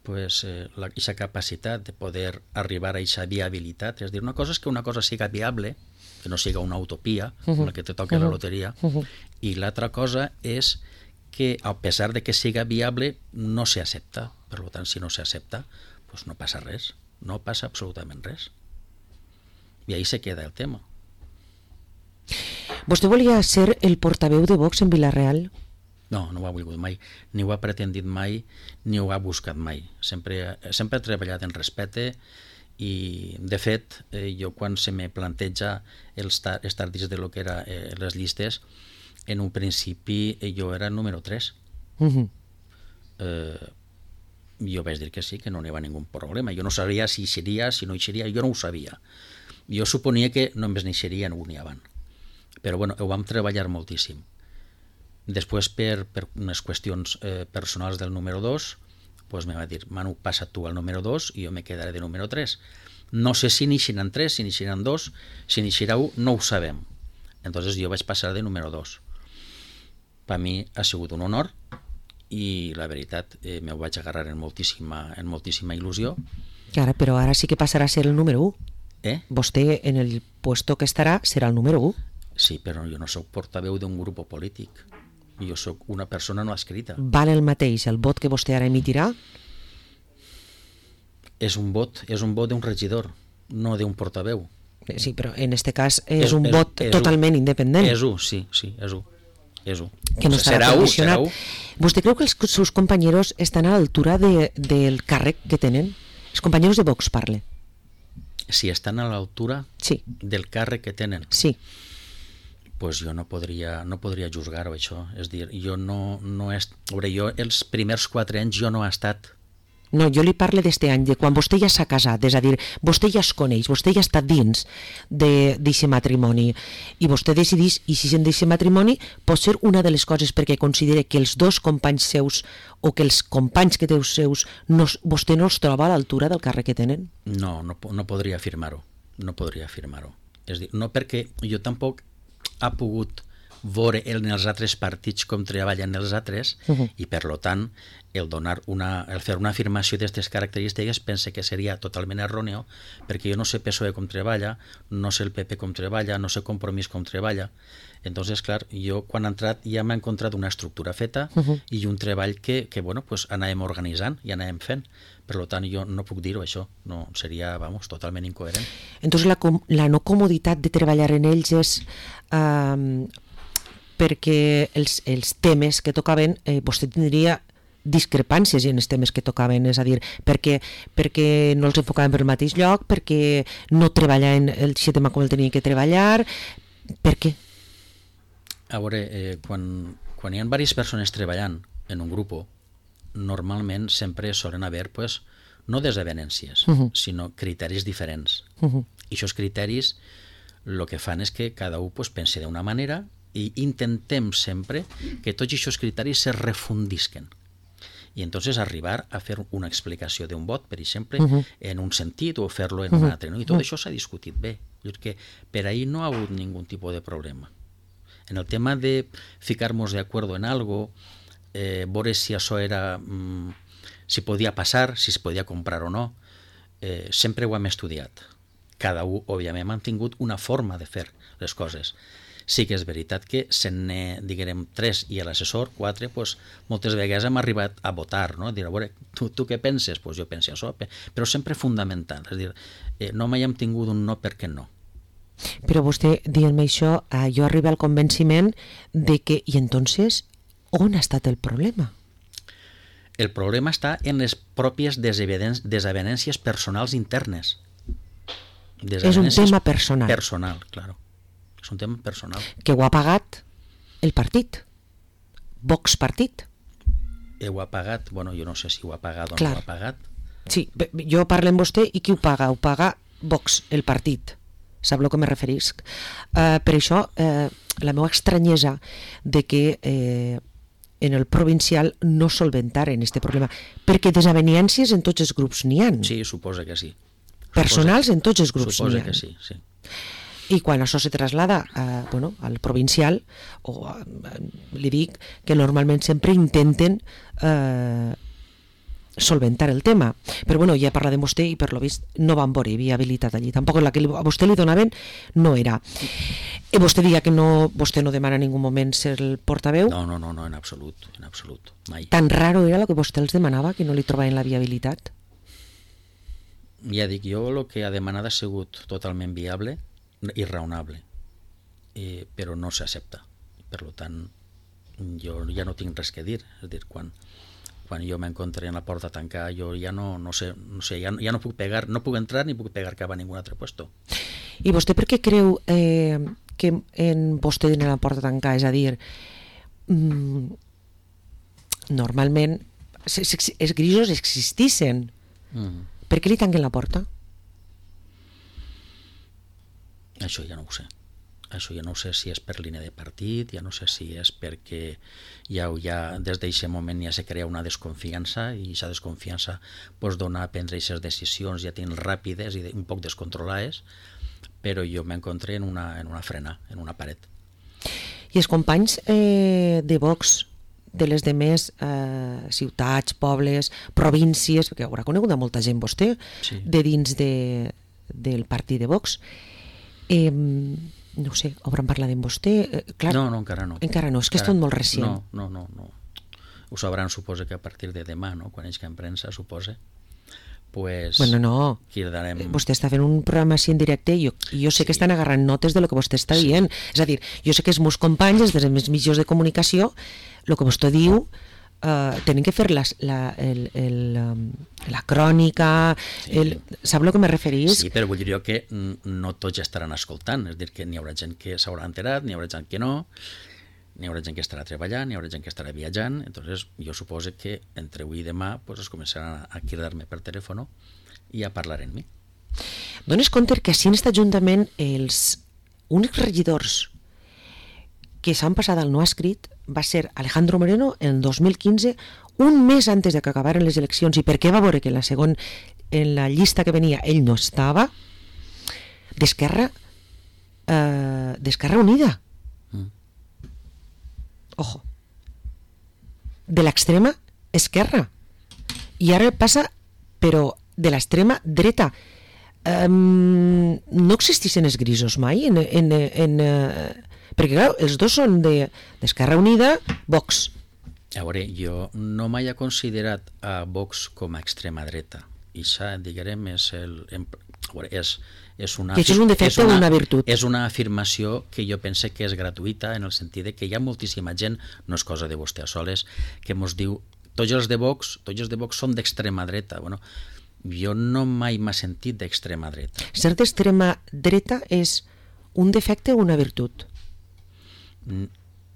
pues eh, la, aquesta capacitat de poder arribar a aquesta viabilitat, és dir, una cosa és que una cosa siga viable, que no siga una utopia, mm-hmm. com la que te toca mm-hmm. la loteria, mm-hmm. i l'altra cosa és que a pesar de que siga viable no s'accepta, per tant si no s'accepta pues no passa res, no passa absolutament res i ahí se queda el tema. Vostè volia ser el portaveu de Vox en Vila-real? No, no ho ha volgut mai, ni ho ha pretendit mai, ni ho ha buscat mai. Sempre, sempre he treballat en respecte i, de fet, eh, jo quan se me planteja els estar dins de lo que era eh, les llistes, en un principi eh, jo era el número tres. Uh-huh. Eh, jo vaig dir que sí, que no n'hi havia ningú problema. Jo no sabia si hi seria, si no hi seria, jo no ho sabia. Jo suponia que només n'hi seria un i avant. Però bueno, ho vam treballar moltíssim. Després, per, per unes qüestions eh, personals del número dos, pues me va dir, Manu, passa tu al número dos i jo me quedaré de número tres. No sé si n'hi seran tres, si n'hi seran dos, si n'hi serà un, no ho sabem. Entonces jo vaig passar de número dos. Per mi ha sigut un honor i la veritat eh, me ho vaig agarrar en moltíssima, en moltíssima il·lusió. Ara, però ara sí que passarà a ser el número u. Eh? Vostè en el puesto que estarà serà el número u. Sí, però jo no soc portaveu d'un grup polític. Jo sóc una persona no escrita. Val el mateix el vot que vostè ara emitirà? És un vot, és un vot d'un regidor, no d'un portaveu. Sí, però en este cas és, és un és, vot és totalment un, independent. És un, sí, sí, és un. És un. Que no serà condicionat. U, serà u. ¿Vostè creu que els seus companyeros estan a l'altura de, del càrrec que tenen? Els companyeros de Vox, parle. Si estan a l'altura sí. del càrrec que tenen? Sí. Pues jo no podria, no podria juzgar-ho, això. És dir, jo no... no és... Veure, jo els primers quatre anys jo no he estat. No, jo li parlo d'este any, de quan vostè ja s'ha casat, és a dir, vostè ja es coneix, vostè ja està dins d'aquest matrimoni i vostè decidís, i si en d'aquest matrimoni pot ser una de les coses perquè considera que els dos companys seus o que els companys que té seus no, vostè no els troba a l'altura del càrrec que tenen? No, no, no podria afirmar-ho, no podria afirmar-ho. És dir, no perquè jo tampoc ha pogut veure en els altres partits com treballen els altres uh-huh. i per lo tant el, donar una, el fer una afirmació d'aquestes característiques pense que seria totalment erròneo perquè jo no sé P S O E com treballa, no sé el P P com treballa, no sé Compromís com treballa. Entonces, clar, jo quan he entrat ja m'he encontrat una estructura feta uh-huh. i un treball que, que bueno, pues, anàvem organitzant i anàvem fent. Per tant, jo no puc dir-ho, això. No, seria, vamos, totalment incoherent. Entonces, la, la no comoditat de treballar en ells és... Uh, perquè els, els temes que tocaven, eh, vostè tindria discrepàncies en els temes que tocaven, és a dir, perquè, perquè no els enfocaven per el mateix lloc, perquè no treballaven el tema com el tenien que treballar, per què? A veure, eh, quan, quan hi ha diverses persones treballant en un grup, normalment sempre solen haver, pues, no desavenències, uh-huh. sinó criteris diferents. Uh-huh. I aquests criteris el que fan és que cada un pues, pensi d'una manera i intentem sempre que tots aquests criteris se refundisquen i entonces arribar a fer una explicació d'un vot, per exemple, uh-huh. en un sentit o fer-lo en uh-huh. un altre. No? I tot uh-huh. això s'ha discutit bé. Que per ahí no ha hagut ningú tipus de problema. En el tema de ficar-nos de acuerdo en algo, eh, veure si això era, mm, si podia passar, si es podia comprar o no, eh, sempre ho hem estudiat. Cada un, òbviament, ha tingut una forma de fer les coses. Sí que és veritat que se n'he, diguem, tres i l'assessor, quatre, pues, moltes vegades hem arribat a votar, no? Dir, a veure, tu, tu què penses? Pues jo penso això, però sempre fundamental. És dir, eh, no mai hem tingut un no perquè no. Però vostè, dient-me això, eh, jo arribo al convenciment de que, i entonces, on ha estat el problema? El problema està en les pròpies desavenències personals internes. És un tema personal. Personal, claro. És un tema personal. Que ho ha pagat el partit. Vox partit. Eh, ho ha pagat, bueno, jo no sé si ho ha pagat o Clar. no ho ha pagat. Sí, jo parlo amb vostè i qui ho paga? Ho paga Vox, el partit. Sap el que me referisc? Uh, per això, uh, la meva estranyesa de que eh, en el provincial no solventaren aquest problema, perquè desavenències en tots els grups n'hi ha. Sí, suposa que sí. Personals en tots els grups Suposa n'hi ha. que sí, sí. I quan això se traslada a, bueno, al provincial, o a, li dic que normalment sempre intenten eh, solventar el tema. Però bueno, ja he parlat de vostè i per lo vist no van veure viabilitat allí. Tampoc la que li, a vostè li donaven no era. I vostè diria que no, vostè no demana en ningú moment ser el portaveu? No, no, no, no, en absolut, en absolut, mai. Tan raro era el que vostè els demanava que no li trobaven la viabilitat? Ja dic, jo el que ha demanat ha sigut totalment viable i raonable, eh, però no s'accepta. Per tant, jo ja no tinc res que dir. És a dir, quan, quan jo m'encontré en la porta tancada, jo ja no, no sé, no sé ja, ja no puc pegar, no puc entrar ni puc pegar cap a ningú altre puesto. I vostè per què creu eh, que en vostè en la porta tancada? És a dir, mm, normalment els grisos existissin. Mm. Per què li tanquen la porta? Això ja no ho sé. Això ja no sé si és per línia de partit, ja no sé si és perquè ja, ja des d'aquest moment ja se crea una desconfiança i aquesta desconfiança pues, dona a prendre aquestes decisions ja tenen ràpides i un poc descontrolades, però jo m'encontré en una, en una frena, en una paret. I els companys eh, de Vox de les demés eh, ciutats, pobles, províncies, perquè haurà conegut a molta gent vostè, sí. de dins de, del partit de Vox, eh, no sé, hauran parlat amb vostè? Eh, clar, no, no, encara no. Encara no, és que és tot molt recient. No, no, no, no. Ho sabran, suposa que a partir de demà, no? Quan ells que en premsa, suposa. Pues, bueno, no, darem... vostè està fent un programa així en directe i jo, jo sé sí. que estan agarrant notes de lo que vostè està sí. dient. És a dir, jo sé que els meus companys, els dels meus mitjans de comunicació, el que vostè diu, eh, tenen que fer les, la, el, el, la crònica, sí. el, sap el que me referís? Sí, però vull dir jo que no tots estaran escoltant, és a dir, que n'hi haurà gent que s'haurà enterat, n'hi haurà gent que no, n'hi haurà gent que estarà treballant, n'hi haurà gent que estarà viatjant, entonces jo suposo que entre avui i demà pues, es començaran a cridar-me per telèfon i a parlar amb mi. Dones compte que així en aquest ajuntament els únics regidors que s'han passat al no escrit va ser Alejandro Moreno en dos mil quinze, un mes antes de que acabaren les eleccions, i perquè va veure que en la segon, en la llista que venia ell no estava, d'Esquerra eh, d'Esquerra Unida. Ojo, de l'extrema esquerra, i ara passa però de l'extrema dreta. Um, no existeixen els grisos mai en, en, en, uh, perquè clar, els dos són de, d'Esquerra Unida, Vox. A veure, jo no mai he considerat a Vox com a extrema dreta, i això, diguem, és el... A veure, és, és una, que això és un defecte o una virtut? És una afirmació que jo pense que és gratuïta en el sentit de que hi ha moltíssima gent, no és cosa de vostè a soles, que mos diu, tots els de Vox, tots els de Vox són d'extrema dreta. Bueno, jo no mai m'ha sentit d'extrema dreta. Ser d'extrema dreta és un defecte o una virtut?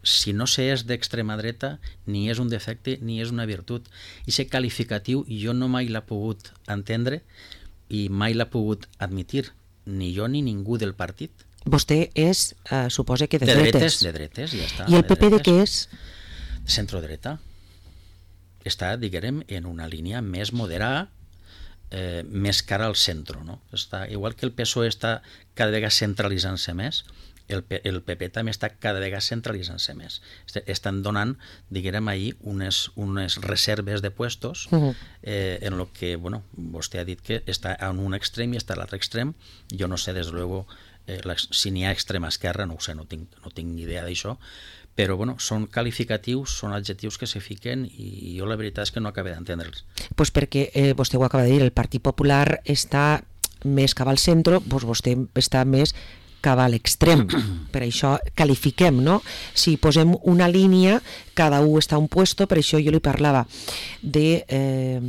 Si no se és d'extrema dreta, ni és un defecte ni és una virtut. I aquest qualificatiu jo no mai l'he pogut entendre i mai l'ha pogut admitir, ni jo ni ningú del partit. Vostè és, eh, suposa que de, de dretes. dretes. De dretes, ja està. I el P P de, de què és? Centrodreta. Està, diguem, en una línia més moderada, eh, més cara al centre, no? Està, igual que el P S O E està cada vegada centralitzant-se més, el, P, el P P també està cada vegada centralitzant-se més. Estan donant, diguem, ahir unes, unes reserves de puestos uh-huh. eh, en lo que, bueno, vostè ha dit que està en un extrem i està a l'altre extrem. Jo no sé, des de luego, eh, la, si n'hi ha extrema esquerra, no ho sé, no tinc, no tinc ni idea d'això, però bueno, són qualificatius, són adjectius que se fiquen i jo la veritat és que no acabé d'entendre'ls. Pues perquè eh, vostè ho acaba de dir, el Partit Popular està més cap al centre, pues vostè està més que va a l'extrem. Per això qualifiquem, no? Si posem una línia, cada un està a un puesto, per això jo li parlava de eh,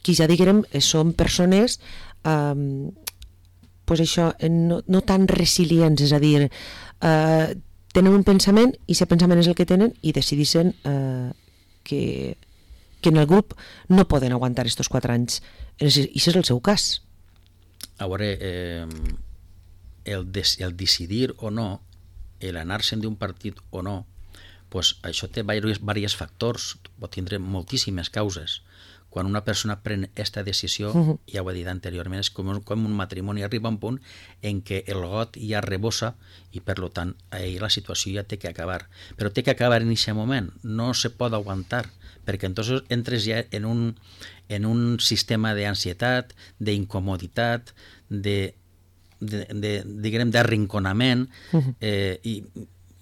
qui ja diguem són persones eh, pues això, no, no tan resilients, és a dir, eh, tenen un pensament i aquest pensament és el que tenen i decideixen eh, que, que en el grup no poden aguantar estos quatre anys. I aquest és el seu cas. A veure, eh, el, des, el decidir o no, el anar-se'n d'un partit o no, pues això té diversos factors, pot tindre moltíssimes causes. Quan una persona pren aquesta decisió, uh-huh. ja ho he dit anteriorment, és com, com un matrimoni, arriba a un punt en què el got ja rebossa i per tant ahir la situació ja té que acabar. Però té que acabar en aquest moment, no se pot aguantar, perquè entonces entres ja en un, en un sistema d'ansietat, d'incomoditat, de, de, de, diguem, d'arrinconament, uh-huh. eh, i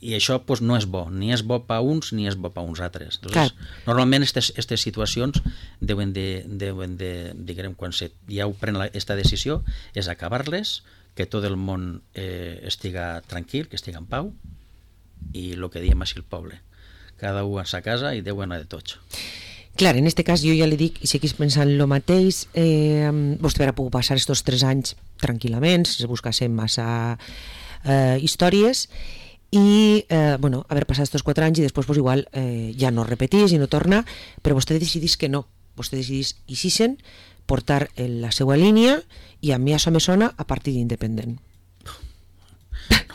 i això pues, no és bo, ni és bo per uns ni és bo per uns altres. Entonces, normalment aquestes situacions deuen de, deuen de diguem, quan se, ja ho pren aquesta decisió, és acabar-les, que tot el món eh, estiga tranquil, que estiga en pau, i el que diem així el poble. Cada un a sa casa i Déu anar de tots. Clar, en aquest cas jo ja li dic, i seguís pensant el mateix, eh, vostè haurà pogut passar aquests tres anys tranquil·lament, si buscassem massa eh, històries, i eh, bueno, haver passat aquests quatre anys i després pues, igual eh, ja no repetís i no torna, però vostè decidís que no, vostè decidís i sisen portar la seva línia i a mi això me sona a partit independent.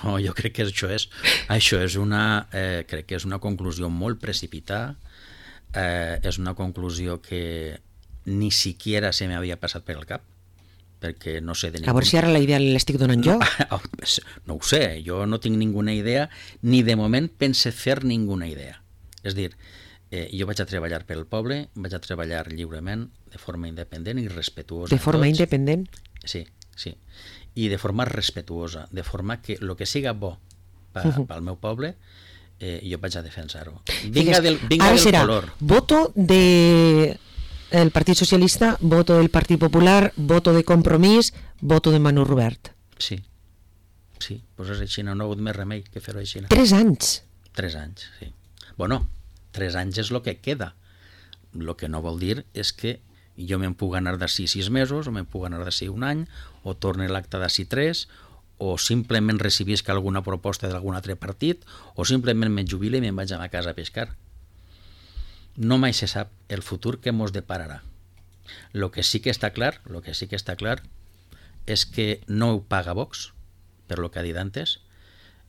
No, jo crec que això és, això és una, eh, crec que és una conclusió molt precipitada, eh, és una conclusió que ni siquiera se m'havia passat per el cap, perquè no sé de ningú... A veure si ara la idea l'estic donant jo. No, no ho sé, jo no tinc ninguna idea, ni de moment pense fer ninguna idea. És dir, eh, jo vaig a treballar pel poble, vaig a treballar lliurement, de forma independent i respetuosa. De forma independent? Sí, sí. I de forma respetuosa, de forma que el que siga bo pel uh -huh. meu poble, eh, jo vaig a defensar-ho. Vinga del, vinga ara del serà color. Voto de... el Partit Socialista, voto del Partit Popular, voto de Compromís, voto de Manu Rubert. Sí, sí, doncs és així, no, no ha hagut més remei que fer-ho així. Tres anys? Tres anys, sí. Bueno, tres anys és el que queda. El que no vol dir és que jo me'n puc anar d'ací sis mesos, o me'n puc anar d'ací un any, o torne l'acte d'ací tres, o simplement recibisc alguna proposta d'algun altre partit, o simplement me jubile i me'n vaig a ma casa a pescar. No mai se sap el futur que mos depararà. Lo que sí que està clar, lo que sí que està clar és que no ho paga Vox, per lo que ha dit antes,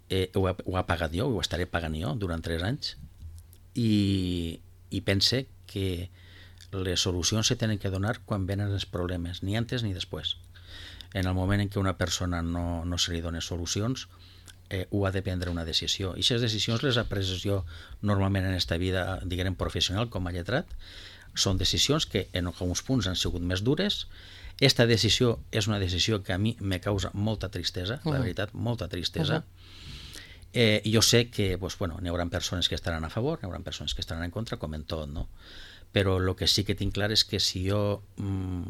eh, ho, ha, ho ha pagat jo, ho estaré pagant jo durant tres anys, i, i pense que les solucions se tenen que donar quan venen els problemes, ni antes ni després. En el moment en què una persona no, no se li dona solucions, Eh, ho ha de prendre una decisió. I aquestes decisions les he pres jo normalment en aquesta vida, diguem, professional com a lletrat. Són decisions que en alguns punts han sigut més dures. Esta decisió és una decisió que a mi me causa molta tristesa, uh-huh. la veritat, molta tristesa. Uh-huh. Eh, jo sé que pues, bueno, n'hi haurà persones que estaran a favor, n'hi haurà persones que estaran en contra, com en tot, no? Però el que sí que tinc clar és que si jo mm,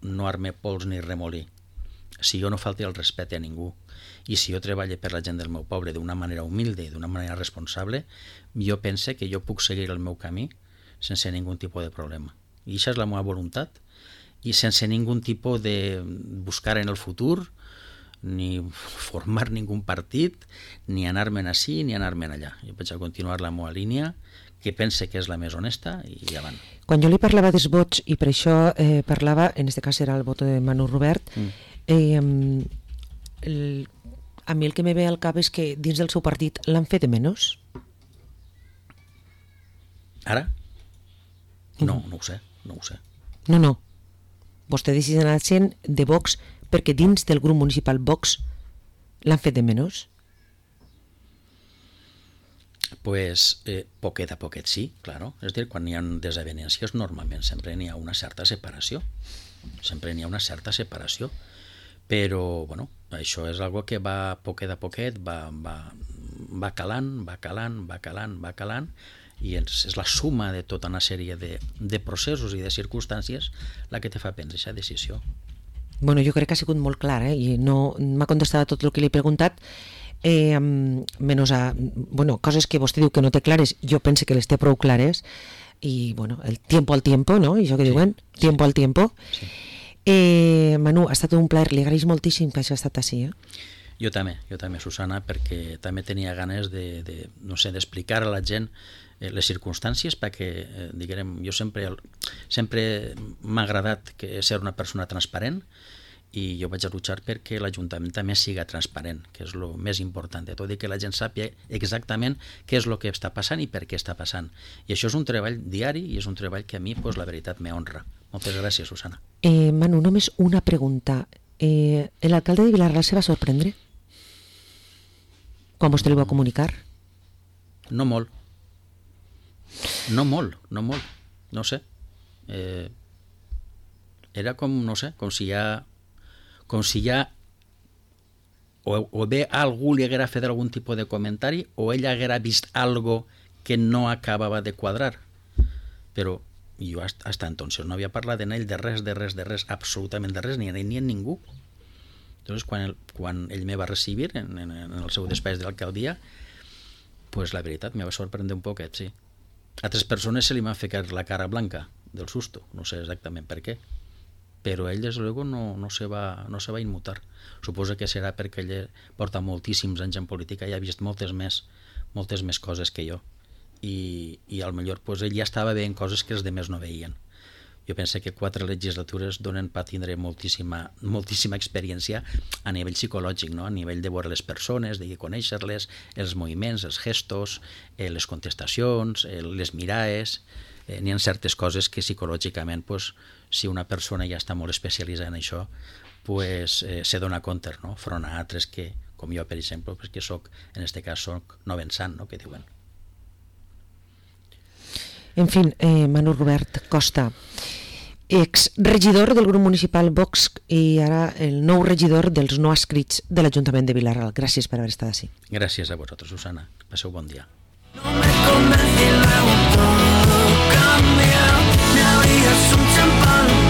no arme pols ni remolí, si jo no falti el respecte a ningú, i si jo treballo per la gent del meu poble d'una manera humilde i d'una manera responsable, jo pense que jo puc seguir el meu camí sense ningú tipus de problema. I això és la meva voluntat, i sense ningú tipus de buscar en el futur, ni formar ningú partit, ni anar-me'n ací, ni anar-me'n allà. Jo vaig a continuar la meva línia, que pense que és la més honesta, i avant. Quan jo li parlava dels vots, i per això eh, parlava, en aquest cas era el vot de Manu Rubert, mm. eh, el a mi el que me ve al cap és que dins del seu partit l'han fet de menys. Ara? No, no ho sé, no ho sé. No, no. Vostè decideix anar sent de Vox perquè dins del grup municipal Vox l'han fet de menys? Pues eh, poquet a poquet sí, claro. És a dir, quan hi ha desavenències normalment sempre n'hi ha una certa separació. Sempre n'hi ha una certa separació. Però, bueno, això és algo que va poquet a poquet, va, va, va calant, va calant, va calant, va calant, i és, és la suma de tota una sèrie de, de processos i de circumstàncies la que te fa prendre aquesta decisió. Bueno, jo crec que ha sigut molt clar, eh? I no m'ha contestat tot el que li he preguntat, eh, menys a, bueno, coses que vostè diu que no té clares, jo pense que les té prou clares, i bueno, el tiempo al tiempo, no? I això que sí, diuen, tiempo sí. al tiempo. Sí. Eh, Manu, ha estat un plaer, li agraïs moltíssim que hagi estat així, eh? Jo també, jo també, Susana, perquè també tenia ganes de, de no sé, d'explicar a la gent eh, les circumstàncies, perquè, eh, diguem, jo sempre, sempre m'ha agradat que ser una persona transparent, i jo vaig a luchar perquè l'Ajuntament també siga transparent, que és el més important de tot, i que la gent sàpiga exactament què és el que està passant i per què està passant. I això és un treball diari i és un treball que a mi, pues, la veritat, me honra. Moltes gràcies, Susana. Eh, Manu, només una pregunta. Eh, L'alcalde de Vila-real se va sorprendre quan vostè li va comunicar? No molt. No molt, no molt. No sé. Eh, era com, no sé, com si ja... com si ja o, o bé algú li haguera fet algun tipus de comentari o ell haguera vist algo que no acabava de quadrar. Però jo hasta, hasta entonces no havia parlat en ell de res, de res, de res, absolutament de res, ni en ell ni en ningú. Entonces, quan, el, quan ell me va recibir en, en, en el seu despatx de l'alcaldia, pues la veritat me va sorprendre un poquet, sí. A altres persones se li va ficar la cara blanca del susto, no sé exactament per què, però ell, des de luego, no, no, se va, no se va inmutar. Suposo que serà perquè ell porta moltíssims anys en política i ha vist moltes més, moltes més coses que jo. I, i al millor pues, ell ja estava veient coses que els demés no veien. Jo penso que quatre legislatures donen per tindre moltíssima, moltíssima experiència a nivell psicològic, no? A nivell de veure les persones, de conèixer-les, els moviments, els gestos, eh, les contestacions, eh, les mirades. Eh, n'hi ha certes coses que psicològicament, pues, si una persona ja està molt especialitzada en això, pues, eh, se dona compte, no? Front a altres que, com jo, per exemple, pues, que soc, en aquest cas, soc no pensant, no? Que diuen. En fin, eh, Manu Robert Costa, ex-regidor del grup municipal Vox i ara el nou regidor dels no adscrits de l'Ajuntament de Vila-real. Gràcies per haver estat així. Gràcies a vosaltres, Susana. Passeu bon dia. No me convencí, luego todo cambió. Me abrías un champán.